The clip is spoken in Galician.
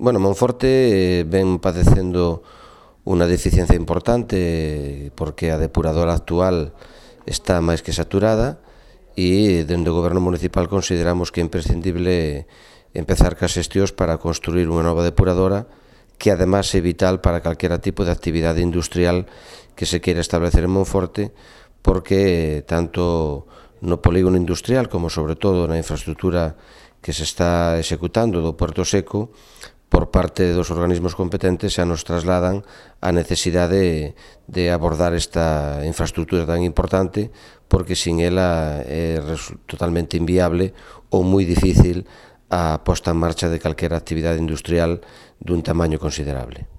Bueno, Monforte ven padecendo unha deficiencia importante porque a depuradora actual está máis que saturada e dende o Goberno Municipal consideramos que é imprescindible empezar cas xestións para construir unha nova depuradora que además é vital para calquera tipo de actividade industrial que se queira establecer en Monforte, porque tanto no polígono industrial como sobre todo na infraestructura que se está executando do Puerto Seco, por parte dos organismos competentes xa nos trasladan a necesidade de abordar esta infraestructura tan importante, porque sin ela é totalmente inviable ou moi difícil a posta en marcha de calquera actividade industrial dun tamaño considerable.